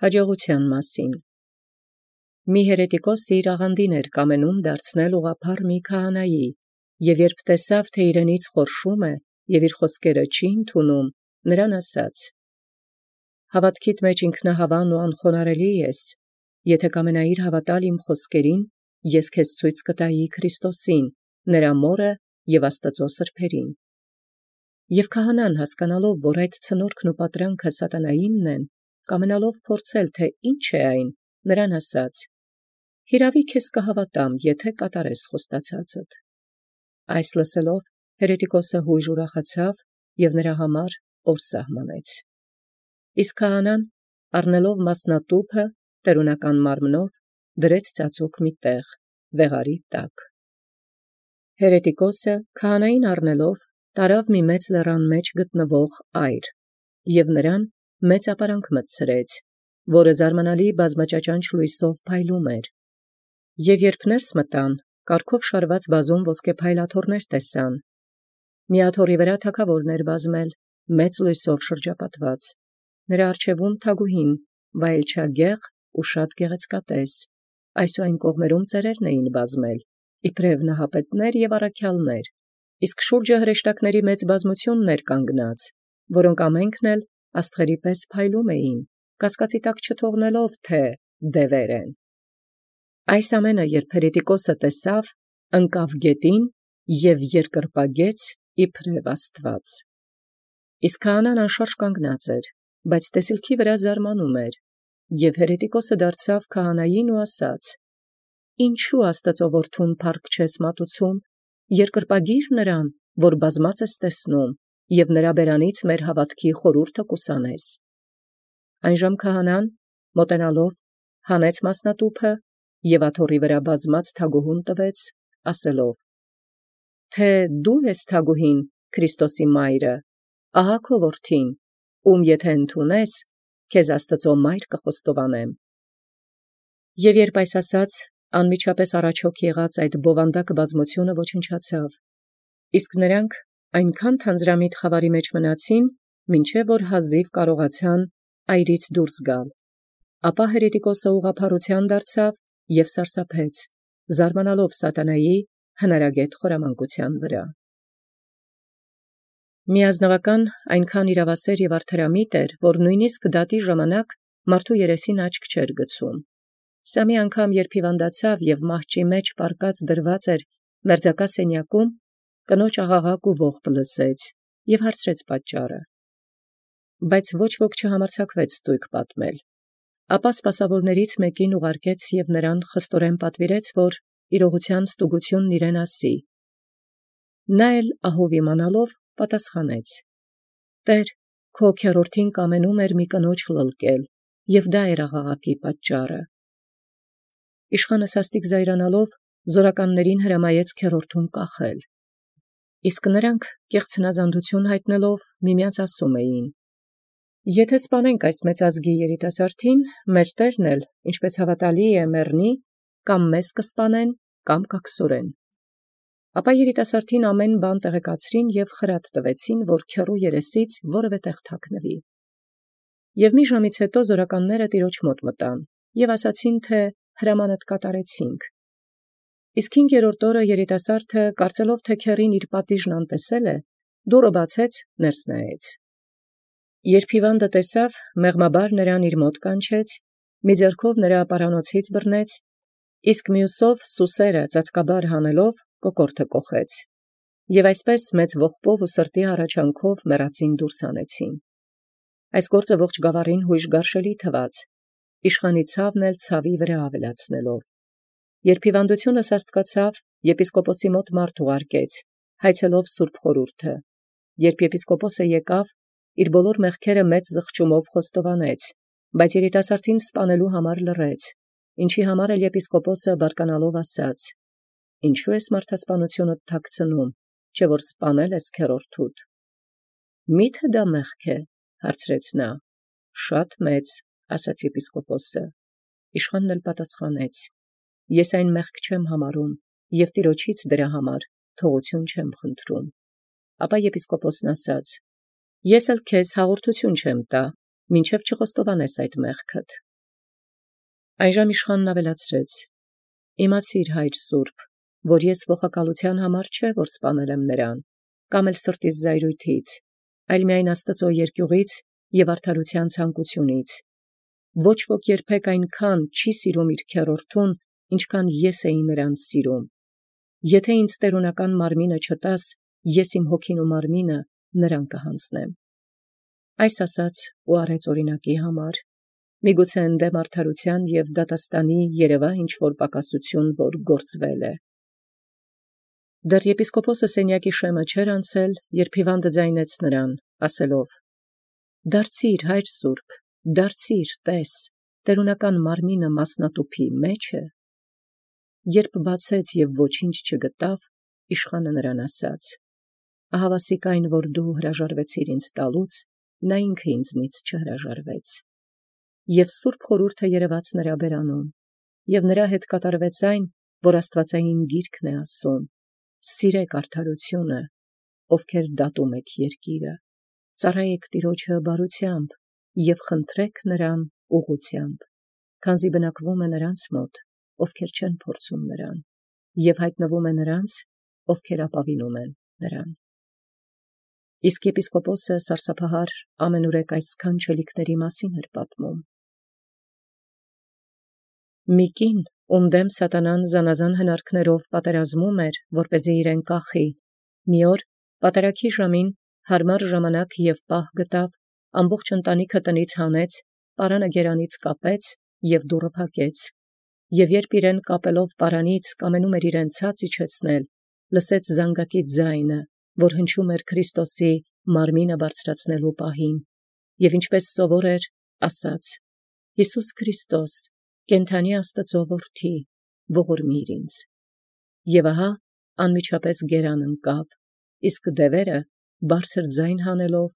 Հաջողութեան մասին։ Մի հերետիկոս իր աղանդին կամենում դարձնել ուղղափառ մի քահանայի, եւ երբ տեսավ, թէ իրենից խորշում է, եւ իր խոսքերը չի ընդունում, նրան ասաց. «Հաւատքիդ մեջ ինքնահավան ու անխոնարհելի ես, եթէ կամենայիր հավատալ իմ խոսքերին, ես քեզ ցույց կտայի Քրիստոսին, նրա մորը եւ Աստուծոյ սրբերին»։ Եւ քահանան հասկանալով, որ այդ ցնորքն ու պատրանքը սատանայինն են, կամենալով փորձել, թէ ինչ է այն, նրան ասաց. «Հիրավի քեզ կհավատամ, եթէ կատարես խոստացածդ»։ Այս լսելով հերետիկոսը յույժ ուրախացավ եւ նրա համար օր սահմանեց։ Իսկ քահանան առնելով մասնատուփը տերունական մարմնով դրեց ծածուկ մի տեղ, վեղարի տակ։ Հերետիկոսը քահանային առնելով տարավ մի մեծ լեռան մեջ գտնվող այր, եւ նրան մեծ ապարանք մտցրեց, որը զարմանալի բազմաճաճանչ լույսով փայլում էր։ Եւ երբ ներս մտան, կարգով շարված բազում ոսկե փայլաթոռներ տեսան։ Մի աթոռի վրա թագաւորն բազմել, մեծ լույսով շրջապատված, նրա առջևում թագուհին, վայելչագեղ ու շատ գեղեցկատես, այսու այն կողմերում ծերերն էին բազմել, իբրև նահապետներ եւ առաքյալներ, իսկ շուրջը հրեշտակների մեծ բազմութիւն կանգնած, որոնք ամենքն էլ աստղերի պես փայլում էին, կասկածի տակ չթողնելով, թէ դևեր են։ Այս ամենը երբ հերետիկոսը տեսավ, ընկավ գետին եւ երկրպագեց իբրև Աստուած։ Իսկ քահանան անշարժ կանգնած էր, բայց տեսիլքի վրա զարմանում էր, եւ հերետիկոսը դարձավ քահանային ու ասաց. «Ինչու Աստուծոյ որդուն փառք չես մատուցում, երկրպագիր նրան, որ բազմած ես տեսնում, եւ նրա բերանից մեր հաւատքի խորհուրդը կուսանես»։ Այնժամ քահանան մոտենալով հանեց մասնատուփը եւ աթոռի վրա բազմած թագուհուն տվեց, ասելով. «Թէ դու ես թագուհին, Քրիստոսի մայրը, ահա քո որդին, եթէ ընդունես, քեզ Աստուծոյ մայր կխոստովանեմ»։ Եւ երբ այս ասաց, անմիջապես առաջոք եղած այդ բովանդակ բազմութիւնը ոչնչացավ, իսկ նրանք այնքան թանձրամիտ խավարի մեջ մնացին, մինչև որ հազիվ կարողացան այրից դուրս գալ։ Ապա հերետիկոսը ուղղափառութեան դարձավ եւ սարսափեց, զարմանալով սատանայի հնարագետ խորամանկութեան վրա։ Միազնվական այնքան իրավասեր եւ արդարամիտ էր, որ նույնիսկ դատի ժամանակ մարդու երեսին աչք չէր գցում։ Սա մի անգամ երբ հիվանդացավ եւ մահճի մեջ պարկած դրված էր մերձակա սենյակում, կնոջ աղաղակ ու ողբ լսեց եւ հարցրեց պատճառը։ Բայց ոչ ոք չհամարձակվեց ստույգ պատմել։ Ապա սպասավորներից մեկին ուղարկեց եւ նրան խստորեն պատվիրեց, որ իրողութեան ստուգութիւնն իրեն ասի։ Նա էլ ահով իմանալով պատասխանեց. «Տէր, քո քերորդին կամենում էր մի կնոջ լլկել, եւ դա էր աղաղակի պատճառը»։ Իշխանը սաստիկ զայրանալով զորականներին հրամայեց քերորդուն կախել։ Իսկ նրանք կեղծ հնազանդութիւն յայտնելով միմեանց ասում էին. «Եթէ սպանենք այս մեծազգի երիտասարդին, մեր Տերն էլ, ինչպէս հաւատալի է, մեռնի, կամ մեզ կսպանեն, կամ կակսորեն»։ Ապա երիտասարդին ամեն բան տեղեկացրին եւ խրատ տվեցին, որ քեռու երեսից որևէ տեղ թաքնվի։ Եւ մի ժամից հետո զորականները տիրոջ մոտ մտան եւ ասացին, թէ հրամանդ կատարեցինք։ Իսկ 5-րդ օրը երիտասարդը, կարծելով թէ քեռին իր պատիժն անտեսել է, դուռը բացեց, ներս նայեց։ Երբ հիվանդը տեսավ, մեղմաբար նրան իր մոտ կանչեց, մի ձեռքով նրա պարանոցից բռնեց, իսկ մյուսով սուսերը ծածկաբար հանելով կոկորդը կոխեց, եւ այսպես մեծ ողբով ու սրտի հառաչանքով մեռածին դուրս հանեցին։ Այս գործը ողջ գաւառին յույժ գարշելի թվաց, իշխանի ցավն էլ ցավի վրա ավելացնելով։ Երբ հիվանդությունը սաստկացավ, եպիսկոպոսի մոտ մարդ ուղարկեց, հայցելով սուրբ խորհուրդը։ Երբ եպիսկոպոսը եկավ, իր բոլոր մեղքերը մեծ զղջումով խոստովանեց, բայց երիտասարդին սպանելու համար լռեց, ինչի համար էլ եպիսկոպոսը բարկանալով ասաց. «Ինչու ես մարդասպանութիւնդ թաքցնում, չէ՞ որ սպանել ես քերորդուդ»։ «Մի՞թե դա մեղք է, հարցրեց նա։ «Շատ մեծ», ասաց եպիսկոպոսը։ Իշխանն էլ պատասխանեց. «Ես այն մեղք չեմ համարում, եւ Տիրոջից դրա համար թողութիւն չեմ խնդրում»։ Ապա եպիսկոպոսն ասաց. «Ես էլ քեզ հաղորդութիւն չեմ տա, մինչև չխոստովանես այդ մեղքդ»։ Այժմ իշխանն ավելացրեց. իմացիր, հայր սուրբ, որ ես ողակալության համար չէ, որ սպանել եմ նրան, կամ էլ սրտիս զայրույթից, այլ միայն Աստծո երկյուղից և արդարության ցանկությունից. ոչ ոք երբեք այնքան չի սիրում իր քեռորդուն, ինչքան ես էի նրան սիրում. եթե ինձ տերունական մարմինը չտաս, ես իմ հոգին ու մարմինը նրան կհանձնեմ։ Այս ասաց ու արեց օրինակի համար, միգուցե ընդդեմ արդարության և դատաստանի երևա ինչ-որ պակասություն, որ գործվել է։ Դեռ եպիսկոպոսը սենյակի շեմը չէր անցել, երբ հիվանդը ձայնեց նրան, ասելով. «Դարձիր, հայր սուրբ, դարձիր, տես, տերունական մարմինը մասնատուփի մեջ է»։ Երբ բացեց և ոչինչ չգտավ, իշխանը նրան ասաց. «Ահա վասիկ այն, որ դու հրաժարվեցիր ինձ տալուց, նա ինքը ինձնից չհրաժարվեց»։ Եվ սուրբ խորհուրդը երևաց նրա բերանում, և նրա հետ կատարվեց այն, որ աստվածային գիրքն է ասում. «Սիրեք արդարությունը, ովքեր դատում եք երկիրը, ծառայեք Տիրոջը բարությամբ և խնդրեք նրան ուղղությամբ, քանզի բնակվում է նրանց մոտ, ովքեր չեն փորձում նրան, և հայտնվում է նրանց, ովքեր ապավինում են նրան»։ Իսկ եպիսկոպոսը սարսափահար ամենուրեք այս սքանչելիքների մասին էր պատմում։ Մի կին, ում դեմ սատանան զանազան հնարքներով պատերազմում էր, որպեսզի իրեն կախի, մի օր պատարագի ժամին հարմար ժամանակ և պահ գտավ, ամբողջ ընտանիքը տնից հանեց, պարանը գերանից կապեց և դուռը փակեց։ Եվ երբ իրեն կապելով պարանից կամենում էր իրեն ցած իջեցնել, լսեց զանգակի ձայնը, որ հնչում էր Քրիստոսի մարմինը բարձրացնելու պահին, և ինչպես սովոր էր, ասաց. «Հիսուս Քրիստոս, կենդանի Աստծո որդի, ողորմիր ինձ»։ Եվ ահա անմիջապես գերան ընկավ, իսկ դևերը բարձր ձայն հանելով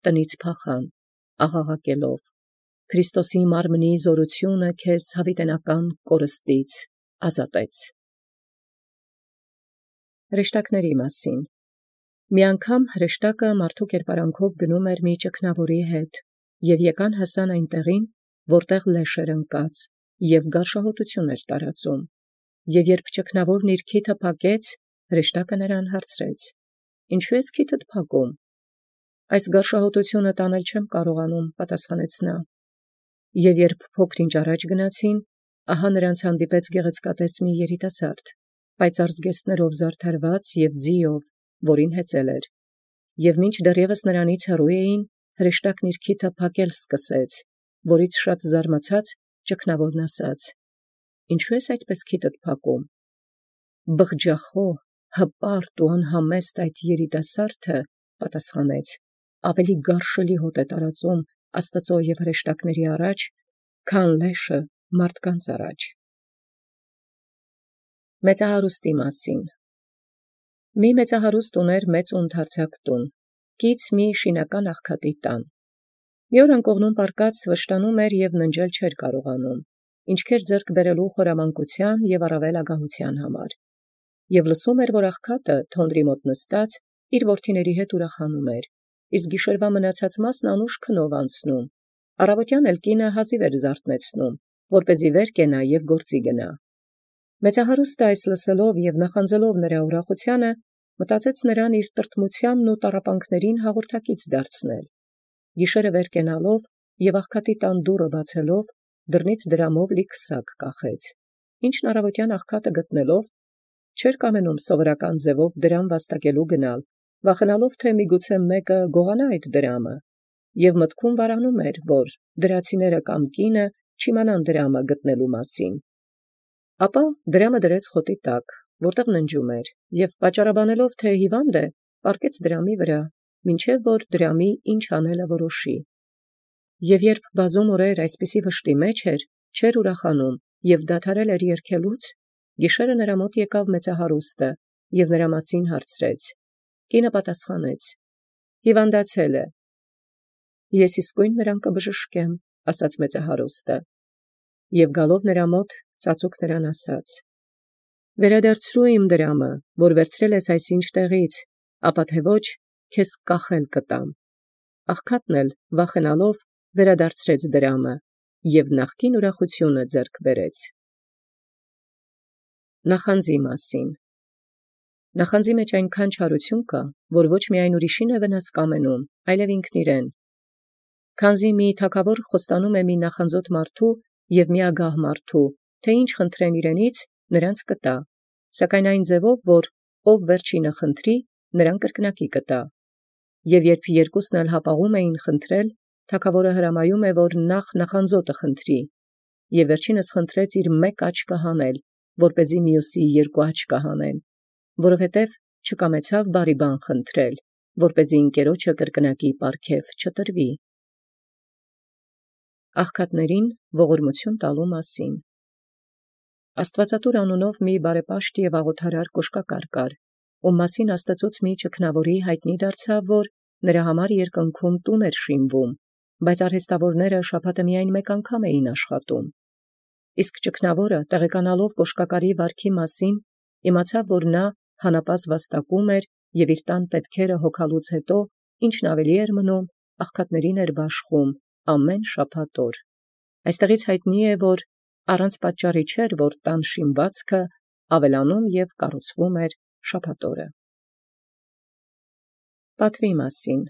տնից փախան, աղաղակելով. «Քրիստոսի մարմնի զորությունը քեզ հավիտենական կորստից ազատեց»։ Հրեշտակների մասին։ Մի անգամ հրեշտակը մարդու կերպարանքով գնում էր մի ճգնավորի հետ, և եկան հասան այն տեղին, որտեղ լեշ էր ընկած, և գարշահոտություն էր տարածում։ Եվ երբ ճգնավորն իր քիթը փակեց, հրեշտակը նրան հարցրեց. «Ինչու ես քիթդ փակում»։ «Այս գարշահոտությունը տանել չեմ կարողանում», պատասխանեց նա։ Եվ երբ փոքր-ինչ առաջ գնացին, ահա նրանց հանդիպեց գեղեցկատես մի երիտասարդ, պայծառ զգեստներով զարդարված և ձիով, որին հեծել էր։ Եվ մինչ դեռևս նրանից հեռու էին, հրեշտակն իր քիթը փակել սկսեց, որից շատ զարմացած ճգնավորն ասաց. «Ինչու ես այդպես քիթդ փակում»։ «Բղջախոհ, հպարտ ու անհամեստ այդ երիտասարդը, պատասխանեց, ավելի գարշելի հոտ է տարածում Աստծո և հրեշտակների առաջ, քան լեշը մարդկանց առաջ»։ Մեծահարուստի մասին։ Մի մեծահարուստ ուներ մեծ ու ընդարձակ տուն, կից մի շինական աղքատի տան։ Մի օր անկողնում պառկած վշտանում էր և ննջել չէր կարողանում, ինչքեր ձեռք բերելու խորամանկության և առավել ագահության համար։ Եվ լսում էր, որ աղքատը թոնրի մոտ նստած իր որդիների հետ ուրախանում էր, իսկ գիշերվա մնացած մասն անուշ քնով անցնում, առավոտյան էլ կինը հազիվ էր զարթնեցնում, որպեսզի վեր կենա և գործի գնա։ Մեծահարուստը այս լսելով և նախանձելով նրա ուրախությանը, մտածեց նրան իր տրտմությանն ու տառապանքներին հաղորդակից դարձնել։ Գիշերը վեր կենալով և աղքատի տան դուռը բացելով, դռնից դրամով լի քսակ կախեց, ինչն առավոտյան աղքատը գտնելով, չէր կամենում սովորական ձևով դրամ վաստակելու գնալ, վախենալով, թե միգուցե մեկը գողանա այդ դրամը, և մտքում վարանում էր, որ դրացիները կամ կինը չիմանան դրամը գտնելու մասին։ Ապա դրամը դրեց խոտի տակ, որտեղ ննջում էր, և պատճառաբանելով, թե հիվանդ է, պառկեց դրամի վրա, մինչև որ դրամի ինչ անելը որոշի։ Եվ երբ բազում օրեր այսպիսի վշտի մեջ էր, չէր ուրախանում և դադարել էր երգելուց, գիշերը նրա մոտ եկավ մեծահարուստը և նրա մասին հարցրեց։ Կինը պատասխանեց. «Հիվանդացել է»։ «Ես իսկույն նրան կբժշկեմ», ասաց մեծահարուստը։ Եվ գալով նրա մոտ, ծածուկ նրան ասաց. «Վերադարձրու իմ դրամը, որ վերցրել ես այսինչ տեղից, ապա թե ոչ, քեզ կախել կտամ»։ Աղքատն էլ վախենալով վերադարձրեց դրամը և նախկին ուրախութիւնը ձեռք բերեց։ Նախանձի մասին։ Նախանձի մեջ այնքան չարություն կա, որ ոչ միայն ուրիշին է վնաս կամենում, այլև ինքն իրեն։ Քանզի մի թագավոր խոստանում է մի նախանձոտ մարդու և մի ագահ մարդու, թե ինչ խնդրեն իրենից, նրանց կտա, սակայն այն ձևով, որ ով վերջինը խնդրի, նրան կրկնակի կտա։ Եվ երբ երկուսն էլ հապաղում էին խնդրել, թագավորը հրամայում է, որ նախ նախանձոտը խնդրի, և վերջինս խնդրեց իր մեկ աչքը հանել, որպեսզի մյուսի երկու աչքը հանեն, որովհետև չկամեցավ բարի բան խնդրել, որպեսզի ընկերոջը կրկնակի պարգև չտրվի։ Աղքատներին ողորմություն տալու մասին։ Աստուածատուր անունով մի բարեպաշտ և աղոթարար կոշկակար կար, ում մասին Աստծոց մի ճգնավորի յայտնի դարձավ, որ նրա համար երկնքում տուն էր շինվում, բայց արհեստավորները շաբաթը միայն մեկ անգամ էին աշխատում։ Իսկ ճգնավորը, տեղեկանալով կոշկակարի վարքի մասին, իմացավ, որ նա հանապազը վաստակում էր և իր տան պետքերը հոգալուց հետո, ինչն ավելի էր մնում, աղքատներին էր բաշխում ամեն շաբաթ օր։ Այստեղից յայտնի է, որ առանց պատճառի չէր, որ տան շինվածքը ավելանում և կառուցվում էր շաբաթ օրը։ Պատվի մասին։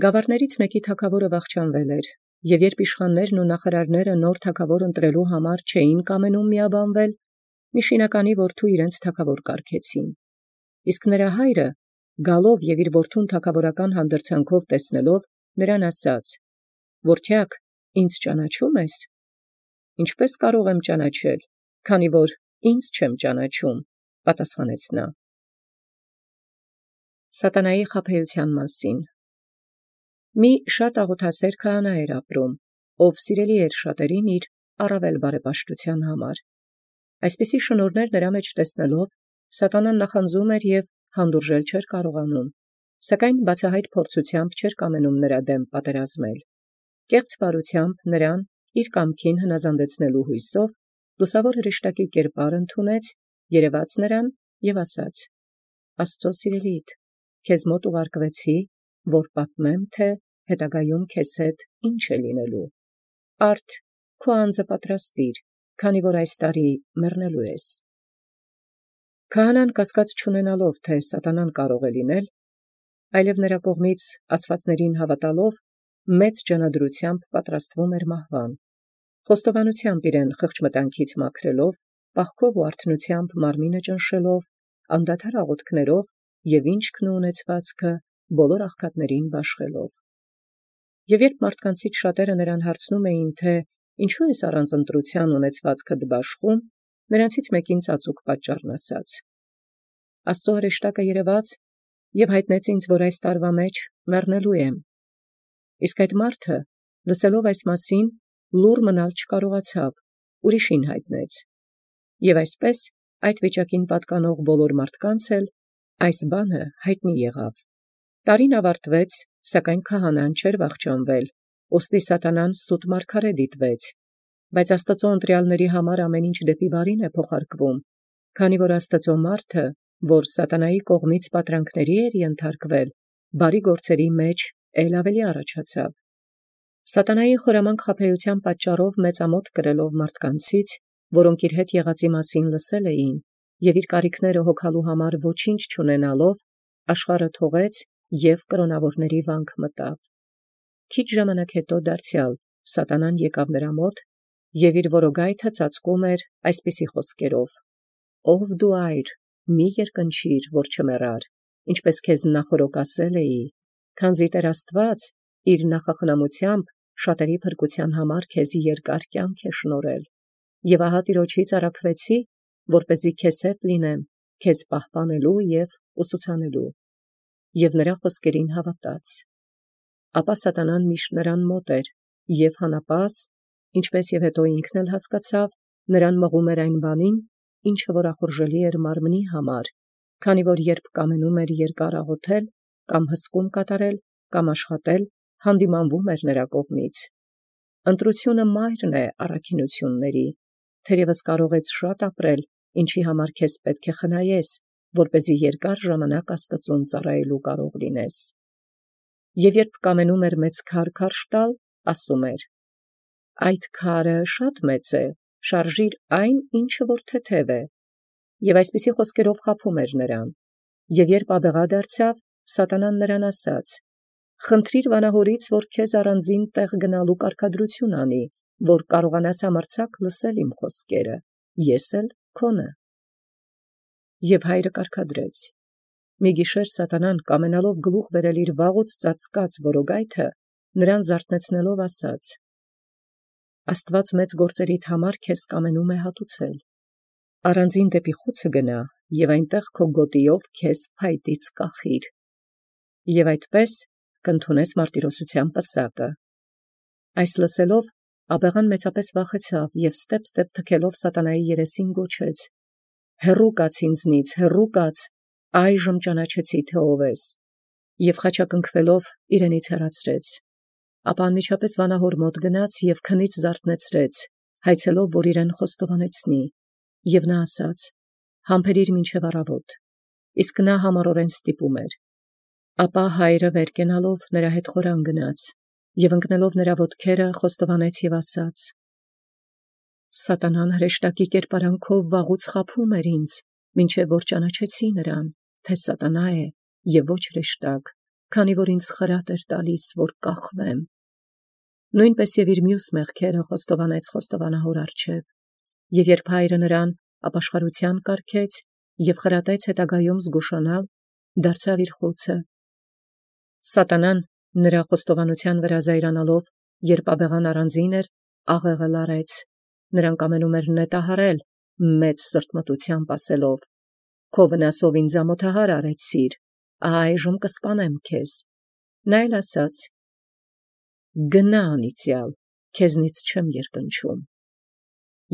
Գավառներից մեկի թագավորը վախճանվել էր, և երբ իշխաններն ու նախարարները նոր թագավոր ընտրելու համար չէին կամենում միաբանվել, մի շինականի որդու իրենց թագավոր կարգեցին։ Իսկ նրա հայրը, գալով և իր որդուն թագավորական հանդրձանքով տեսնելով, նրան ասաց. «Որդյակ, ինձ ճանաչո՞ւմ ես»։ «Ինչպե՞ս կարող եմ ճանաչել, քանի որ ինձ չեմ ճանաչում», պատասխանեց նա։ Սատանայի խաբեության մասին։ Մի շատ աղոթասեր քահանա էր ապրում, ով սիրելի էր շատերին իր առավել բարեպաշտության համար։ Այսպիսի շնորհներ նրա մեջ տեսնելով, սատանան նախանձում էր և հանդուրժել չէր կարողանում, սակայն բացահայտ փորձությամբ չէր կամենում նրա դեմ պատերազմել։ Կեղծ բարությամբ նրան իր կամքին հնազանդեցնելու հույսով լուսավոր հրեշտակի կերպար ընդունեց, երևաց նրան և ասաց. «Աստծո սիրելիդ, քեզ մոտ ուղարկվեցի, որ պատմեմ, թե հետագայում քեզ հետ ինչ է լինելու։ Արդ քո անձը պատրաստիր, քանի որ այս տարի մեռնելու ես»։ Քահանան կասկած չունենալով, թե սատանան կարող է լինել, այլև նրա կողմից աստվածներին հավատալով, մեծ ջանադրությամբ պատրաստվում էր մահվան։ Խոստովանությամբ իրեն խղճմտանքից մաքրելով, պահքով ու արթնությամբ մարմինը ճնշելով, անդադար աղոթքներով և ինքն ու ունեցվածքը բոլոր աղքատներին բաշխելով։ Եվ երբ մարդկանցից շատերը նրան հարցնում էին, թե ինչու ես առանց ընտրության ունեցվածքդ բաշխում, նրանցից մեկին ծածուկ պատճառն ասաց. «Աստծո հրեշտակը երևաց և հայտնեց ինձ, որ այս տարվա մեջ մեռնելու եմ»։ Իսկ այդ մարդը, լսելով այս մասին, լուռ մնալ չկարողացավ, ուրիշին հայտնեց։ Եվ այսպես այդ վիճակին պատկանող բոլոր մարդկանց էլ այս բանը հայտնի եղավ։ Տարին ավարտվեց, սակայն քահանան չէր վախճանվել, ուստի սատանան սուտ մարգարե դիտվեց։ Բայց Աստծո ընտրյալների համար ամեն ինչ դեպի բարին է փոխարկվում, քանի որ Աստծո մարդը, որ սատանայի կողմից պատրանքների էր ենթարկվել, բարի գործերի մեջ էլ ավելի առաջացավ։ Սատանայի խորամանկ խաբեության պատճառով մեծամոտ կրելով մարդկանցից, որոնք իր հետ եղածի մասին լսել էին, և իր կարիքները հոգալու համար ոչինչ չունենալով, աշխարհը թողեց և կրոնավորների վանք մտավ։ Քիչ ժամանակ հետո դարձյալ սատանան եկավ նրա մոտ և իր որոգայթը ծածկում էր այսպիսի խոսքերով. «Ով դու այր, մի երկնչիր, որ չմեռար, ինչպես քեզ նախօրոք ասել էի, քանզի Տեր Աստված իր նախախնամությամբ շատերի փրկության համար քեզի երկար կյանք է շնորհել։ Եվ ահա Տիրոջից առաքվեցի, որպեսզի քեզ հետ լինեմ, քեզ պահպանելու և ուսուցանելու»։ Եվ նրա խոսքերին հավատաց։ Ապա սատանան միշտ նրան մոտ էր և հանապազը, ինչպես և հետո ինքն էլ հասկացավ, նրան մղում էր այն բանին, ինչը որ ախորժելի էր մարմնի համար, քանի որ երբ կամենում էր երկար աղոթել, կամ հսկում կատարել, կամ աշխատել, հանդիմանվում էր նրա կողմից։ Ընտրությունը մայրն է առաքինությունների, թերևս կարող ես շատ ապրել, ինչի համար քեզ պետք է խնայես, որպեսզի երկար ժամանակ Աստծուն ծառայելու կարող լինես։ Եվ երբ կամենում էր մեծ քար քարշ տալ, ասում էր. Այդ քարը շատ մեծ է, շարժիր այն, ինչը որ թեթև է։ Եւ այսպիսի խոսքերով խաբում էր նրան։ Եւ երբ աբեղա դարձավ, սատանան նրան ասաց. «Խնդրիր վանահորից, որ քեզ առանձին տեղ գնալու կարգադրություն անի, որ կարողանաս համարձակ լսել իմ խոսքերը, ես էլ քոնը»։ Եւ հայրը կարգադրեց։ Մի գիշեր սատանան կամենալով գլուխ բերել իր վաղուց ծածկած որոգայթը, նրան զարթնեցնելով ասաց. «Աստված մեծ գործերիդ համար քեզ կամենում է հատուցել։ Առանձին դեպի խուցը գնա, եւ այնտեղ քո գոտիով քեզ փայտից կախիր, եւ այդպես կընդունես մարտիրոսության պսակը»։ Այս լսելով աբեղան մեծապես վախեցավ եւ ստեպ թքելով սատանայի երեսին գոչեց. «Հեռու կաց ինձնից, հեռու կաց, այժմ ճանաչեցի թե ով ես», եւ խաչակնքվելով իրենից հեռացրեց։ Ապա անմիջապես վանահոր մոտ գնաց եւ քնից զարթնեցրեց, հայցելով, որ իրեն խոստովանեցնի, եւ նա ասաց. «Համբերիր մինչև առավոտ», իսկ նա համառորեն ստիպում էր։ Ապա հայրը վեր կենալով նրա հետ խորան գնաց, եւ ընկնելով նրա ոտքերը խոստովանեց եւ ասաց. «Սատանան հրեշտակի կերպարանքով վաղուց խաբում էր ինձ, մինչև որ ճանաչեցի նրան, թե սատանա է եւ ոչ հրեշտակ, քանի որ ինձ խրատ էր տալիս, որ կախվեմ»։ Նույնպես եւ իր մյուս մեղքերը խոստովանեց խոստովանահոր առջև, եւ երբ հայրը նրան ապաշխարության կարգեց եւ խրատեց հետագայում զգուշանալ, դարձավ իր խուցը։ Սատանան նրա խոստովանության վրա զայրանալով, երբ աբեղան առանձին էր, աղեղը լարեց, նրան կամենում էր նետահարել, մեծ սրտմտությամբ ասելով. «Քո վնասով ինձ ամոթահար արեցիր, այժմ կսպանեմ քեզ»։ Նա էլ ասաց. «Գնա անիծյալ, քեզնից չեմ երկնչում»։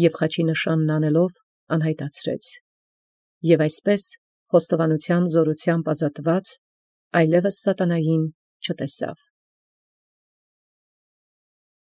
Եվ խաչի նշանն անելով անհայտացրեց։ Եվ այսպես խոստովանության զորությամբ ազատված, այլևս սատանային չտեսավ։